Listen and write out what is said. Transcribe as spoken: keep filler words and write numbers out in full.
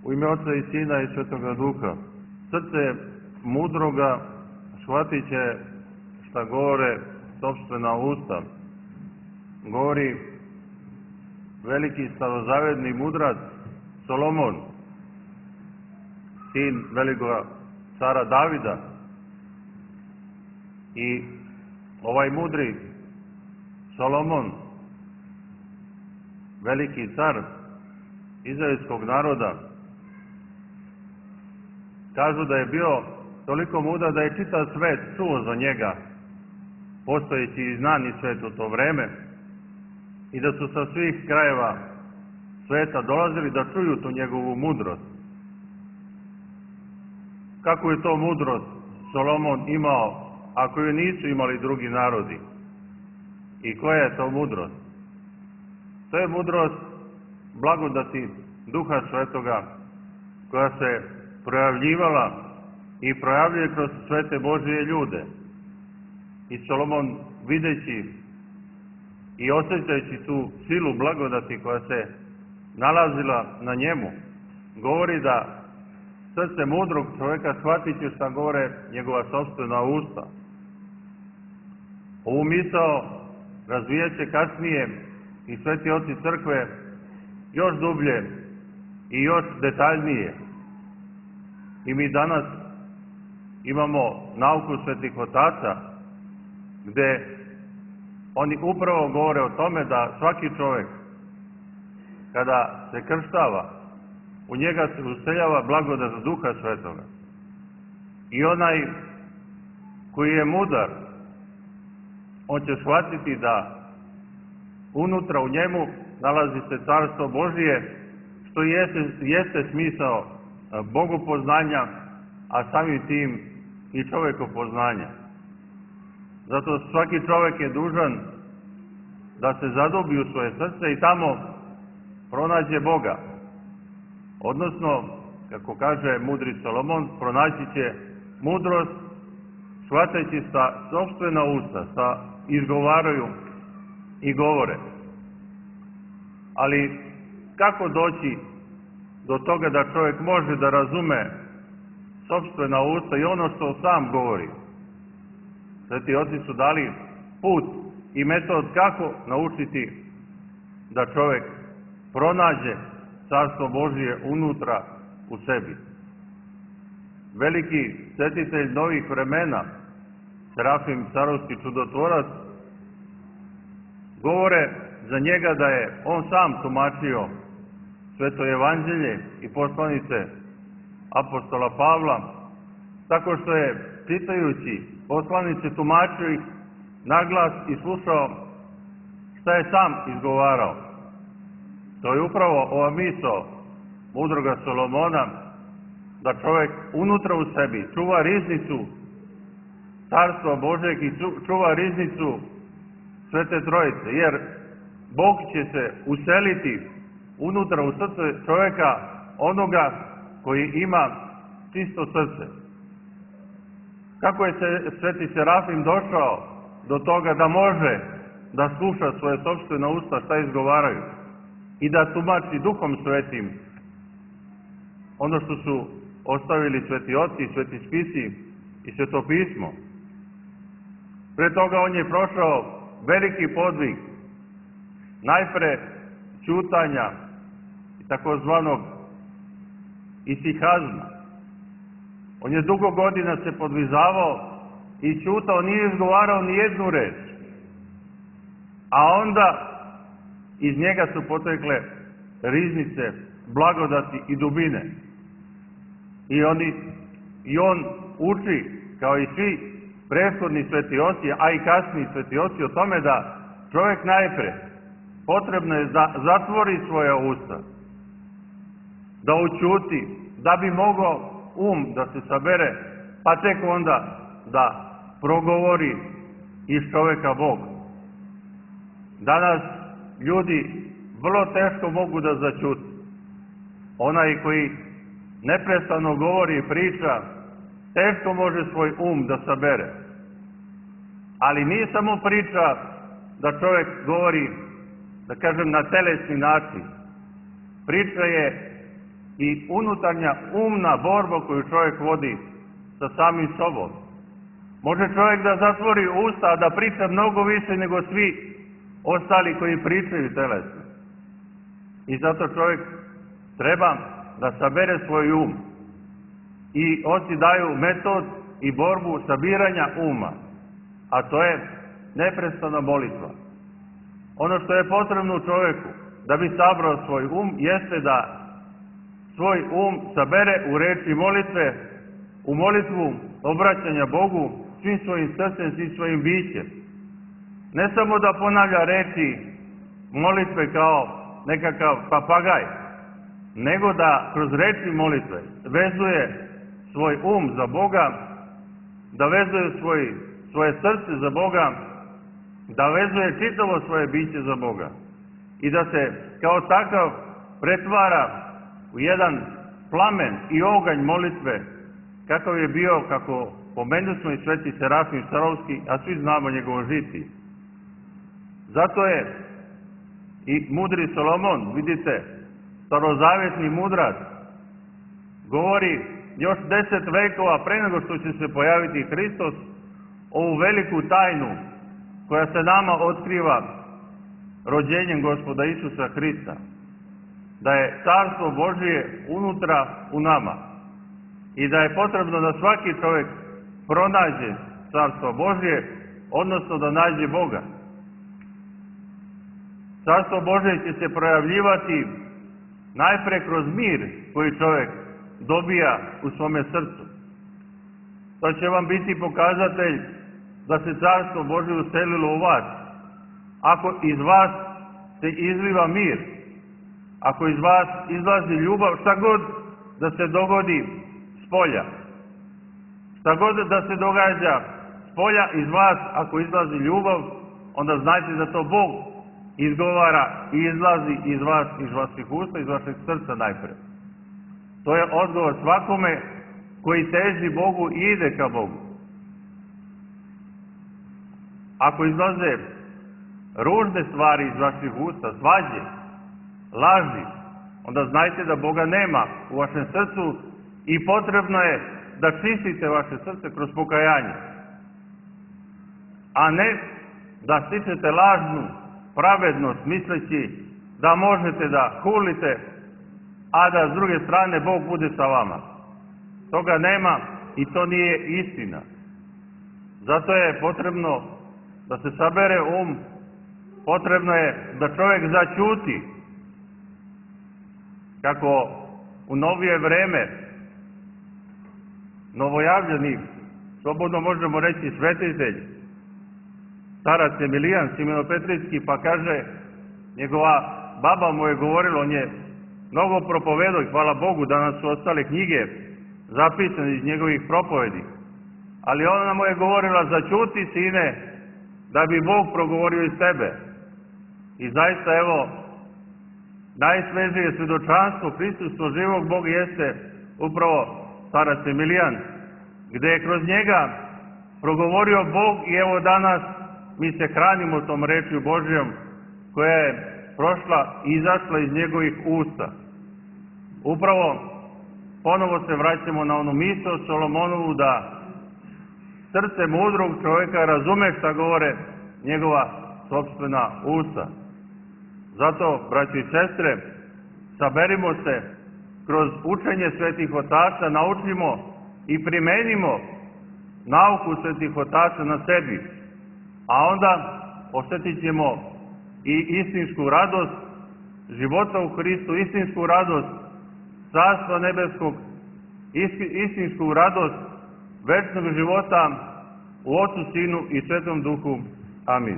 U ime Oca i Sina i Svetoga Duha. Srce mudroga shvatit će šta govore sopstvena usta. Govori veliki starozavedni mudrac Solomon, sin velikog cara Davida. I ovaj mudri Solomon, veliki car izraelskog naroda, kažu da je bio toliko mudar da je čitav svet čuo za njega, postojeći i znani svet u to vreme, i da su sa svih krajeva sveta dolazili da čuju tu njegovu mudrost. Kako je to mudrost Solomon imao, ako ju nisu imali drugi narodi? I koja je to mudrost? To je mudrost blagodati Duha Svetoga, koja se projavljivala i projavljuje kroz svete Božije ljude. I Solomon, videći i osjećajući tu silu blagodati koja se nalazila na njemu, govori da srce mudrog čovjeka shvatit će šta govore njegova sopstvena usta. Ovu misao razvijat će kasnije i sveti oci crkve još dublje i još detaljnije. I mi danas imamo nauku svetih otaca, gde oni upravo govore o tome da svaki čovjek, kada se krštava, u njega se useljava blagodat Duha Svetoga. I onaj koji je mudar, on će shvatiti da unutra u njemu nalazi se Carstvo Božije, što jeste, jeste smisao bogopoznanja, a samim tim i čovekopoznanja. Zato svaki čovjek je dužan da se zadubi u svoje srce i tamo pronađe Boga. Odnosno, kako kaže mudri Solomon, pronaći će mudrost shvatajući sa sopstvena usta, sa izgovaraju i govore. Ali kako doći do toga da čovjek može da razume sopstvena usta i ono što sam govori? Sveti oci su dali put i metod kako naučiti da čovjek pronađe Carstvo Božije unutra u sebi. Veliki svetitelj novih vremena, Serafim Sarovski čudotvorac, govore za njega da je on sam tumačio Sveto evanđelje i poslanice apostola Pavla, tako što je, čitajući poslanice, tumačio ih naglas i slušao šta je sam izgovarao. To je upravo ova misao mudroga Solomona, da čovjek unutra u sebi čuva riznicu Carstva Božeg i čuva riznicu Svete Trojice, jer Bog će se useliti unutra u srce čovjeka, onoga koji ima čisto srce. Kako je se Sveti Serafim došao do toga da može da sluša svoje sopstvene usta šta izgovaraju i da tumači Duhom Svetim ono što su ostavili sveti oci, sveti spisi i sveto pismo? Pre toga on je prošao veliki podvig, najpre ćutanja i takozvanog isihazma. On je dugo godina se podvizavao i ćutao, nije izgovarao ni jednu reč. A onda iz njega su potekle riznice, blagodati i dubine. I, oni, i on uči, kao i svi prethodni sveti oci, a i kasniji sveti oci, o tome da čovjek najpre potrebno je da zatvori svoja usta, da ućuti, da bi mogao um da se sabere, pa tek onda da progovori iz čovjeka Bog. Danas ljudi vrlo teško mogu da zaćute. Onaj koji neprestano govori i priča, teško može svoj um da sabere. Ali nije samo priča da čovjek govori, da kažem, na telesni način. Priča je i unutarnja umna borba koju čovjek vodi sa samim sobom. Može čovjek da zatvori usta, a da priča mnogo više nego svi ostali koji pričaju telesno. I zato čovjek treba da sabere svoj um. I oci daju metod i borbu sabiranja uma, a to je neprestana molitva. Ono što je potrebno čovjeku da bi sabrao svoj um jeste da svoj um sabere u reči molitve, u molitvu obraćanja Bogu svim svojim srcem, svim svojim bićem. Ne samo da ponavlja reči molitve kao nekakav papagaj, nego da kroz reči molitve vezuje svoj um za Boga, da vezuje svoj, svoje srce za Boga, da vezuje čitavo svoje biće za Boga i da se kao takav pretvara u jedan plamen i oganj molitve, kakav je bio, kako pomenuli i sveti Serafim Sarovski, a svi znamo njegovo žitije. Zato je i mudri Solomon, vidite, starozavjetni mudrac, govori još deset vekova pre nego što će se pojaviti Hristos, ovu veliku tajnu koja se nama otkriva rođenjem Gospoda Isusa Hrista, da je Carstvo Božije unutra u nama i da je potrebno da svaki čovjek pronađe Carstvo Božje, odnosno da nađe Boga. Carstvo Božje će se projavljivati najpre kroz mir koji čovjek dobija u svome srcu. To će vam biti pokazatelj da se Carstvo Božje uselilo u vas. Ako iz vas se izliva mir, ako iz vas izlazi ljubav, šta god da se dogodi s polja, šta god da se događa s polja, iz vas ako izlazi ljubav, onda znajte da to Bog izgovara i izlazi iz vas, iz vaših usta, iz vašeg srca najpre. To je odgovor svakome koji teži Bogu i ide ka Bogu. Ako izlaze ružne stvari iz vaših usta, svađe, laži, onda znajte da Boga nema u vašem srcu i potrebno je da čistite vaše srce kroz pokajanje, a ne da stičete lažnu pravednost misleći da možete da hulite, a da s druge strane Bog bude sa vama. Toga nema i to nije istina. Zato je potrebno da se sabere um, potrebno je da čovjek zaćuti, kako u novije vreme novojavljeni, slobodno možemo reći svetitelj, starac Emilijan Simenopetrijski, pa kaže, njegova baba mu je govorila, on je mnogo propovedao i hvala Bogu da nam su ostale knjige zapisane iz njegovih propovedi, ali ona mu je govorila, zaćuti sine, da bi Bog progovorio iz tebe. I zaista, evo, najsvežije svjedočanstvo, prisustvo živog Boga jeste upravo starac Emilijan, gde je kroz njega progovorio Bog i evo danas mi se hranimo tom rečju Božjom koja je prošla i izašla iz njegovih usta. Upravo ponovo se vraćamo na onu misao Solomonovu da srce mudrog čovjeka razume šta govore njegova sopstvena usta. Zato, braći i sestre, saberimo se kroz učenje svetih otaca, naučimo i primenimo nauku svetih otaca na sebi, a onda osjetit ćemo i istinsku radost života u Hristu, istinsku radost Carstva nebeskog, istinsku radost večnog života u Otcu, Sinu i Svetom Duhu. Amin.